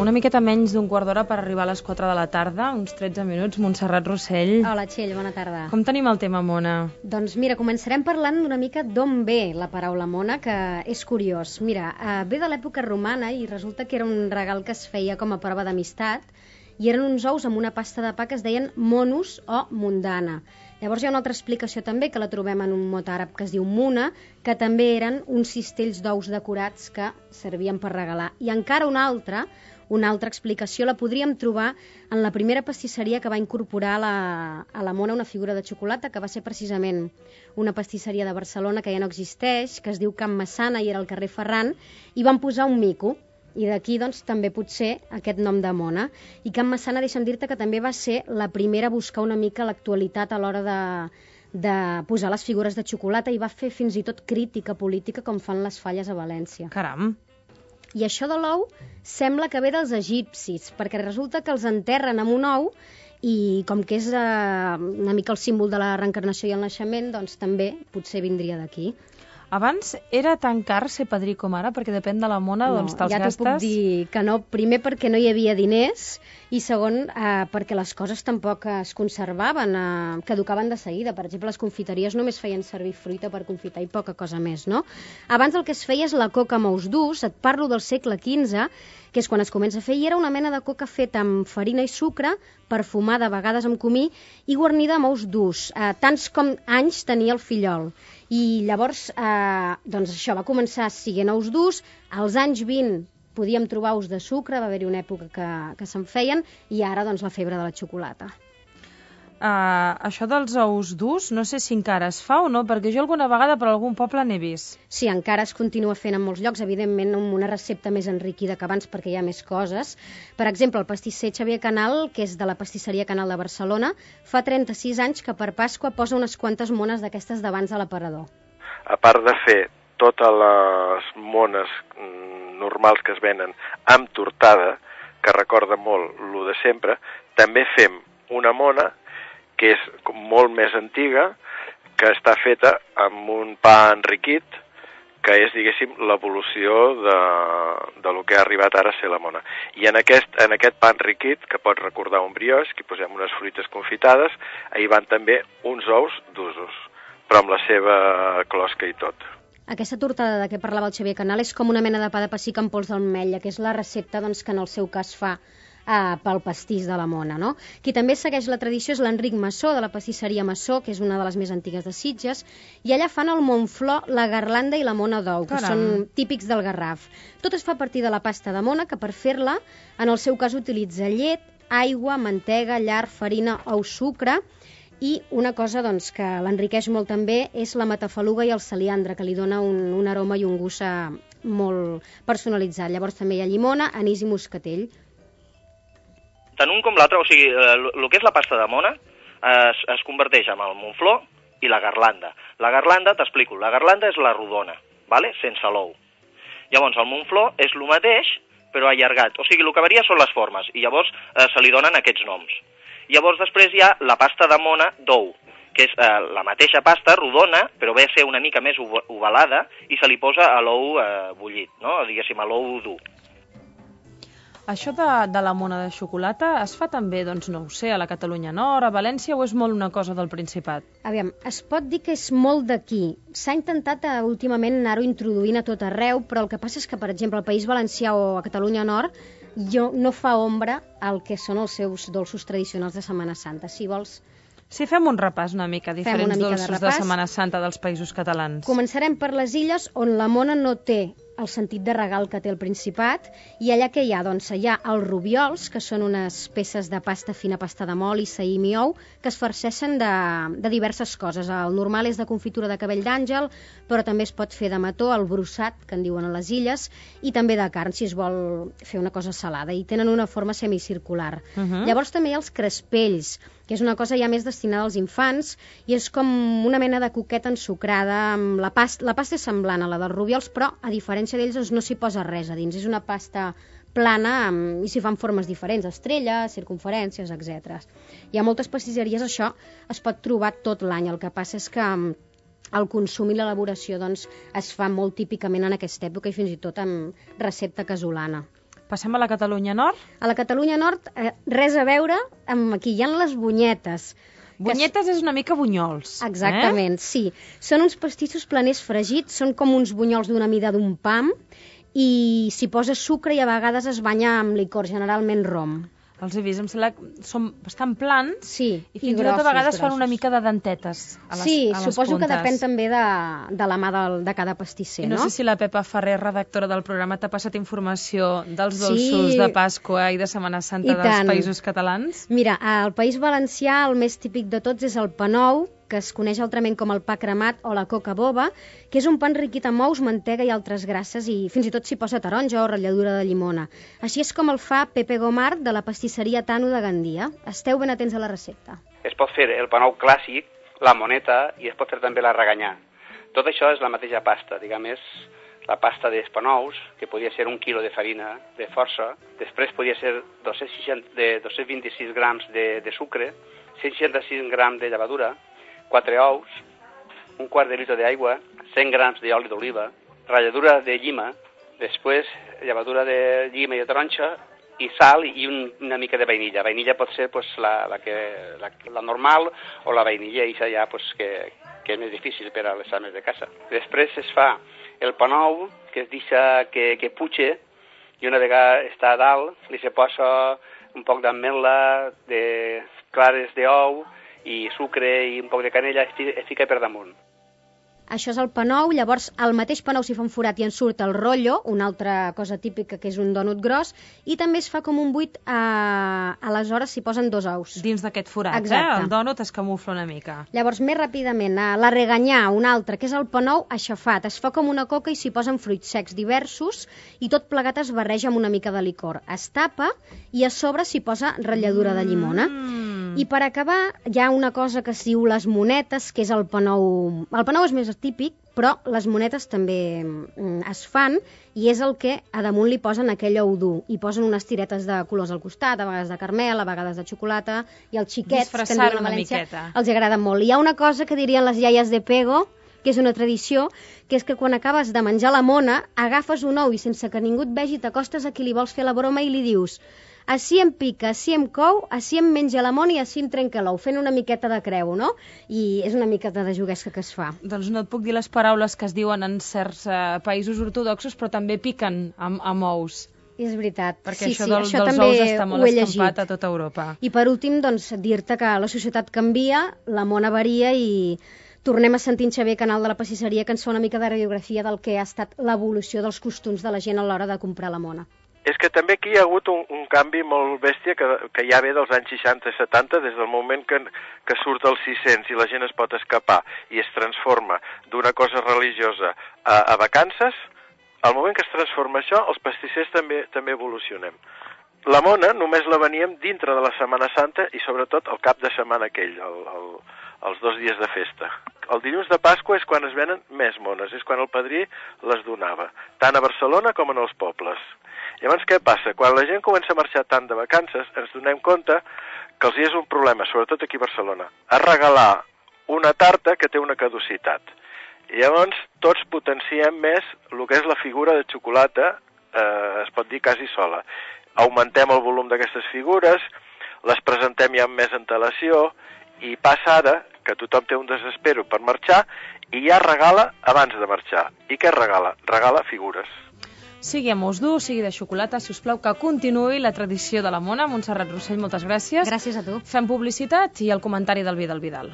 una miqueta menys d'un quart d'hora per arribar a les 4 de la tarda, uns 13 minuts. Montserrat Rossell. Hola, Txell, bona tarda. Com tenim el tema mona? Doncs mira, començarem parlant una mica d'on ve la paraula mona, que és curiós. Mira, ve de l'època romana i resulta que era un regal que es feia com a prova d'amistat i eren uns ous amb una pasta de pa que es deien monus o mundana. Llavors hi ha una altra explicació també, que la trobem en un mot àrab que es diu muna, que també eren uns cistells d'ous decorats que servien per regalar. I encara una altra explicació la podríem trobar en la primera pastisseria que va incorporar a la mona una figura de xocolata, que va ser precisament una pastisseria de Barcelona que ja no existeix, que es diu Can Massana i era al carrer Ferran, i van posar un mico. I d'aquí doncs, també potser aquest nom de mona. I Can Massana, deixa'm dir-te que també va ser la primera a buscar una mica l'actualitat a l'hora de posar les figures de xocolata i va fer fins i tot crítica política com fan les falles a València. Caram! I això de l'ou sembla que ve dels egipcis, perquè resulta que els enterren amb un ou i com que és una mica el símbol de la reencarnació i el naixement, doncs també potser vindria d'aquí. Abans era tan car ser padrí com ara, perquè depèn de la mona, doncs te'ls gastes... Ja t'ho puc dir que no. Primer perquè no hi havia diners i segon perquè les coses tampoc es conservaven, caducaven de seguida. Per exemple, les confiteries només feien servir fruita per confitar i poca cosa més, no? Abans el que es feia és la coca amb ous durs, et parlo del segle XV, que és quan es comença a fer, i era una mena de coca feta amb farina i sucre, perfumada a vegades amb comí i guarnida amb ous durs, tants com anys tenia el fillol. I llavors, doncs això, va començar sent ous durs, als anys 20 podíem trobar ous de sucre, va haver-hi una època que se'n feien, i ara doncs la febre de la xocolata. Això dels ous durs, no sé si encara es fa o no, perquè jo alguna vegada per algun poble n'he vist. Sí, encara es continua fent en molts llocs, evidentment amb una recepta més enriquida que abans perquè hi ha més coses. Per exemple, el pastisser Xavier Canal, que és de la pastisseria Canal de Barcelona, fa 36 anys que per Pasqua posa unes quantes mones d'aquestes d'abans a l'aparador. A part de fer totes les mones normals que es venen amb tortada, que recorda molt lo de sempre, també fem una mona que és molt més antiga, que està feta amb un pa enriquit, que és, diguéssim, l'evolució de lo que ha arribat ara a ser la mona. I en aquest pa enriquit, que pot recordar un brioix, que hi posem unes fruites confitades, hi van també uns ous d'usos, però amb la seva closca i tot. Aquesta tortada de què parlava el Xavier Canal és com una mena de pa de pessic amb pols d'ametlla, que és la recepta doncs, que en el seu cas fa pel pastís de la mona, no? Qui també segueix la tradició és l'Enric Massó, de la pastisseria Massó, que és una de les més antigues de Sitges, i allà fan el Montflor, la garlanda i la mona d'ou, que són típics del Garraf. Tot es fa a partir de la pasta de mona, que per fer-la, en el seu cas utilitza llet, aigua, mantega, llar, farina ou sucre, i una cosa doncs, que l'enriqueix molt també és la matafaluga i el caliandre, que li dona un aroma i un gust molt personalitzat. Llavors també hi ha llimona, anís i moscatell. Tant un com l'altre, o sigui, el que és la pasta de mona es converteix en el Montflor i la garlanda. La garlanda, t'explico, la garlanda és la rodona, ¿vale? Sense l'ou. Llavors el Montflor és el mateix, però allargat. O sigui, el que varia són les formes, i llavors se li donen aquests noms. Llavors després hi ha la pasta de mona d'ou, que és la mateixa pasta, rodona, però ve a ser una mica més ovalada, i se li posa a l'ou bullit, no? Diguéssim, a l'ou dur. Això de la mona de xocolata es fa també, doncs no ho sé, a la Catalunya Nord, a València, o és molt una cosa del Principat? Aviam, es pot dir que és molt d'aquí. S'ha intentat últimament anar-ho introduint a tot arreu, però el que passa és que, per exemple, al País Valencià o a Catalunya Nord no fa ombra al que són els seus dolços tradicionals de Setmana Santa. Si vols... Sí, fem un repàs una mica, diferents dolços de Setmana Santa dels Països Catalans. Començarem per les illes, on la mona no té el sentit de regal que té el Principat, i allà què hi ha? Doncs hi ha els rubiols, que són unes peces de pasta fina, pasta de mol i saïm i ou, que es farceixen de diverses coses. El normal és de confitura de cabell d'àngel, però també es pot fer de mató, el brossat, que en diuen a les illes, i també de carn, si es vol fer una cosa salada, i tenen una forma semicircular. Llavors també hi ha els crespells, que és una cosa ja més destinada als infants, i és com una mena de coqueta ensucrada, amb la pasta és semblant a la dels rubiols, però a diferència d'ells doncs, no s'hi posa res a dins, és una pasta plana i s'hi fan formes diferents, estrelles, circunferències, etc. Hi ha moltes pastisseries, això es pot trobar tot l'any, el que passa és que el consum i l'elaboració doncs, es fa molt típicament en aquesta època i fins i tot amb recepta casolana. passem a la Catalunya Nord. A la Catalunya Nord, res a veure amb aquí. Hi ha les bunyetes. Bunyetes és una mica bunyols. Exactament, sí. Són uns pastissos planers fregits, són com uns bunyols d'una mida d'un pam, i s'hi posa sucre i a vegades es banya amb licor, generalment rom. Els he vist, em sembla que són bastant plans, sí, i fins i tot a vegades fan una mica de dentetes a les, sí, a les suposo puntes. Que depèn també de la mà de cada pastisser, no? No sé si la Pepa Ferrer, redactora del programa, t'ha passat informació dels dolços de Pasqua i de Setmana Santa dels Països Catalans? Mira, al País Valencià el més típic de tots és el pa nou, que es coneix altrament com el pa cremat o la coca boba, que és un pa enriquit amb ous, mantega i altres grasses, i fins i tot s'hi posa taronja o ratlladura de llimona. Així és com el fa Pepe Gomar, de la pastisseria Tano de Gandia. Esteu ben atents a la recepta. Es pot fer el pa nou clàssic, la moneta, i es pot fer també la reganyà. Tot això és la mateixa pasta, diguem, és la pasta d'espanous, que podia ser 1 quilo de farina de força, després podia ser 226 grams de sucre, 166 grams de llevadura, 4 ous, un quart de litre d'aigua, 100 grams d'oli d'oliva, ratlladura de llima, després llevadura de llima i de taronja, i sal i una mica de vainilla. Vainilla pot ser pues, la normal o la vainilla i ja pues, que és més difícil per a les ames de casa. Després es fa el pa nou, que es deixa que puxe, i una vegada està a dalt, li se posa un poc d'ametla, de clares d'ou, i sucre i un poc de canella, es fica per damunt. Això és el pa nou, llavors al mateix pa nou s'hi fa un forat i en surt el rotllo, una altra cosa típica que és un dònut gros, i també es fa com un buit, aleshores s'hi posen 2 ous. Dins d'aquest forat, el dònut es camufla una mica. Llavors, més ràpidament, la reganyà, una altra, que és el pa nou aixafat, es fa com una coca i s'hi posen fruits secs diversos, i tot plegat es barreja amb una mica de licor. Es tapa i a sobre s'hi posa ratlladura de llimona. I per acabar, hi ha una cosa que es diu les monetes, que és el pa nou. El pa nou és més típic, però les monetes també es fan, i és el que a damunt li posen aquell ou dur. Hi posen unes tiretes de colors al costat, a vegades de carmel, a vegades de xocolata, i els xiquets, que en diuen a València, els agrada molt. Hi ha una cosa que dirien les iaies de Pego, que és una tradició, que és que quan acabes de menjar la mona, agafes un ou i sense que ningú et vegi t'acostes a qui li vols fer la broma i li dius: així em pica, així em cou, així em menja la mona i així em trenca l'ou, fent una miqueta de creu, no? I és una miqueta de juguesca que es fa. Doncs no et puc dir les paraules que es diuen en certs països ortodoxos, però també piquen amb ous. És veritat. Perquè això dels ous està molt escampat a tota Europa. I per últim, doncs, dir-te que la societat canvia, la mona varia i tornem a sentir en Xavier Canal de la Pastisseria, que ens fa una mica de radiografia del que ha estat l'evolució dels costums de la gent a l'hora de comprar la mona. És que també aquí hi ha hagut un canvi molt bèstia que ja ve dels anys 60 i 70, des del moment que surt el 600 i la gent es pot escapar i es transforma d'una cosa religiosa a vacances. Al moment que es transforma això, els pastissers també evolucionem. La mona només la veníem dintre de la Setmana Santa i sobretot el cap de setmana aquell, els 2 dies de festa. El dilluns de Pasqua és quan es venen més mones, és quan el padrí les donava, tant a Barcelona com en els pobles. Llavors, què passa? Quan la gent comença a marxar tant de vacances, ens donem compte que els hi és un problema, sobretot aquí a Barcelona, a regalar una tarta que té una caducitat. I llavors, tots potenciem més el que és la figura de xocolata, es pot dir quasi sola. Augmentem el volum d'aquestes figures, les presentem ja amb més antelació, i passa ara que tothom té un desespero per marxar i ja regala abans de marxar. I què regala? Regala figures. Sigui amb ous dur, sigui de xocolata, si us plau que continuï la tradició de la mona. Montserrat Rossell, moltes gràcies. Gràcies a tu. Fem publicitat i el comentari del Vidal.